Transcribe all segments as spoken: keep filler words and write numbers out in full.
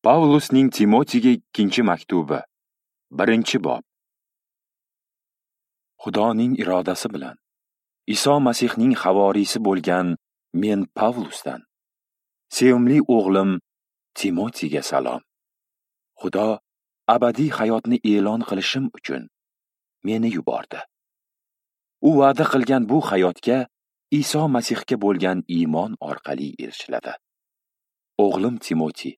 Pavlusning Timotiyga ikkinchi maktubi, birinchi bob. Xudoning irodasi bilan Iso Masihning havoriysi bo'lgan men Pavlusdan sevimli o'g'lim Timotiyga salom. Xudo abadiy hayotni e'lon qilishim uchun meni yubordi. U va'da qilgan bu hayotga Iso Masihga bo'lgan iymon orqali erishiladi. O'g'lim Timotiy,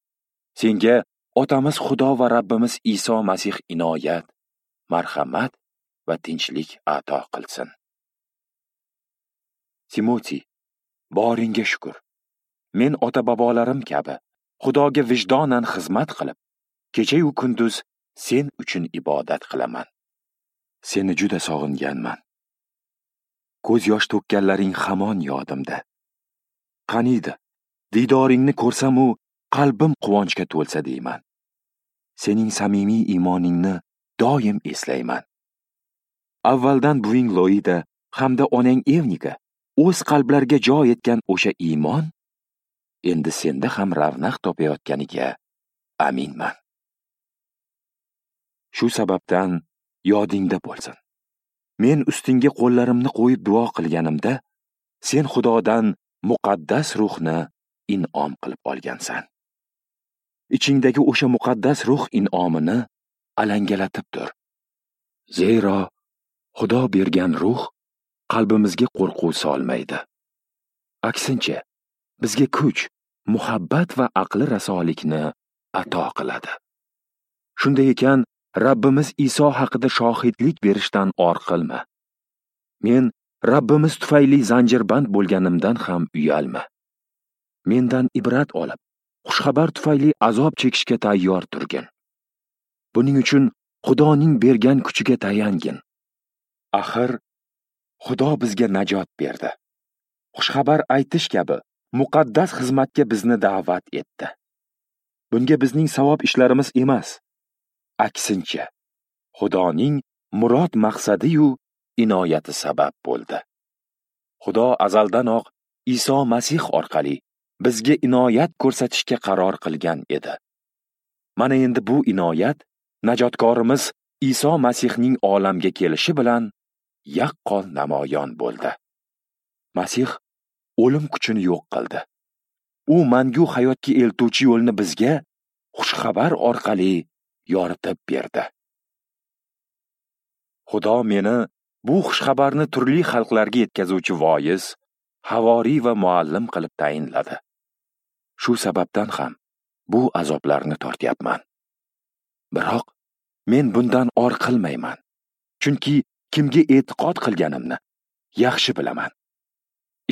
senga otamiz Xudo va Rabbimiz Iso Masih inoyat, marhamat va tinchlik ato qilsin. Timotiy, boringga shukr. Men ota-bobolarim kabi Xudoga vijdonan xizmat qilib, kecha-yu kunduz sen uchun ibodat qilaman. Seni juda sog'inganman. Ko'z yosh to'kkanlaring hamon yodimda. Qaniydi, didoringni ko'rsam-u qalbim quvonchga to'lsa deyman. Sening samimiy iymoningni doim eslayman. Avvaldan buving Loida hamda onang Evnika o'z qalblariga joy etgan o'sha iymon endi senda ham ravnaq topayotganiga aminman. Shu sababdan yodingda bo'lsin. Men ustingga qo'llarimni qo'yib duo qilganimda, sen Xudodan muqaddas ruhni in'om qilib olgansan. Ichingdagi o'sha muqaddas ruh in'omini alangalatib tur. Zero Xudo bergan ruh qalbimizga qo'rquv solmaydi. Aksincha, bizga kuch, muhabbat va aqli rasolikni ato qiladi. Shunday ekan, Rabbimiz Iso haqida shohidlik berishdan or qilma. Men Rabbimiz tufayli zanjirband bo'lganimdan ham uyalma. Mendan ibrat olib, xushxabar tufayli azob chekishga tayyor turgin. Buning uchun Xudoning bergan kuchiga tayangin. Axir Xudo bizga najot berdi. Xushxabar aytish kabi muqaddas xizmatga bizni da'vat etdi. Bunga bizning savob ishlarimiz emas, aksincha Xudoning murod maqsadi-yu inoyati sabab bo'ldi. Xudo azaldanoq Iso Masih orqali bizga inoyat ko'rsatishga qaror qilgan edi. Mana endi bu inoyat najotkorimiz Iso Masihning olamga kelishi bilan yaqqol namoyon bo'ldi. Masih o'lim kuchini yo'q qildi. U mangu hayotga eltuvchi yo'lni bizga xushxabar orqali yoritib berdi. Xudo meni bu xushxabarni turli xalqlarga yetkazuvchi voiz, havoriy va muallim qilib tayinladi. Shu sababdan ham bu azoblarni tortyapman. Biroq men bundan or qilmayman, chunki kimga e'tiqod qilganimni yaxshi bilaman.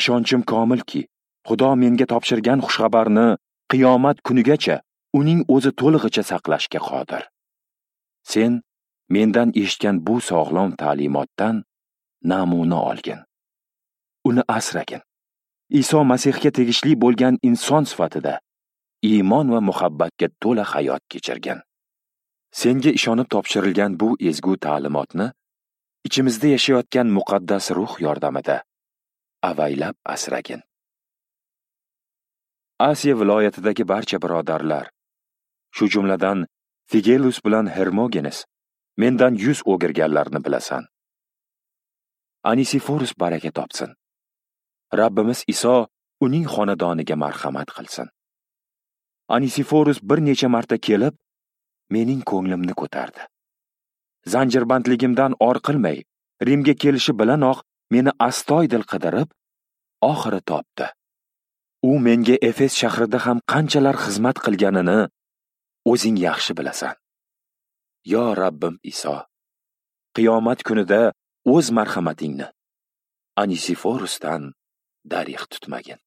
Ishonchim komilki, Xudo menga topshirgan xushxabarni qiyomat kunigacha uning o'zi to'lig'icha saqlashga qodir. Sen mendan eshitgan bu sog'lom ta'limotdan namuna olgin. Uni asragin. Iso Masihga tegishli bo'lgan inson sifatida iymon va muhabbatga to'la hayot kechirgin. Senga ishonib topshirilgan bu ezgu ta'limotni ichimizda yashayotgan muqaddas ruh yordamida avaylab asragin. Asiya viloyatidagi barcha birodarlar, shu jumladan Figelus bilan Hermogenes mendan yuz o'girganlarni bilasan. Anisiforus baraka topsin. Rabbimiz Iso uning xonadoniga marhamat qilsin. Anisiforus bir necha marta kelib, mening ko'nglimni ko'tardi. Zanjirbandligimdan or qilmay, Rimga kelishi bilanoq meni astoydil qidirib, oxiri topdi. U menga Efes shahrida ham qanchalar xizmat qilganini o'zing yaxshi bilasan. Yo Rabbim Iso, qiyomat kunida o'z marhamatingni Anisiforusdan darig' tutmagin.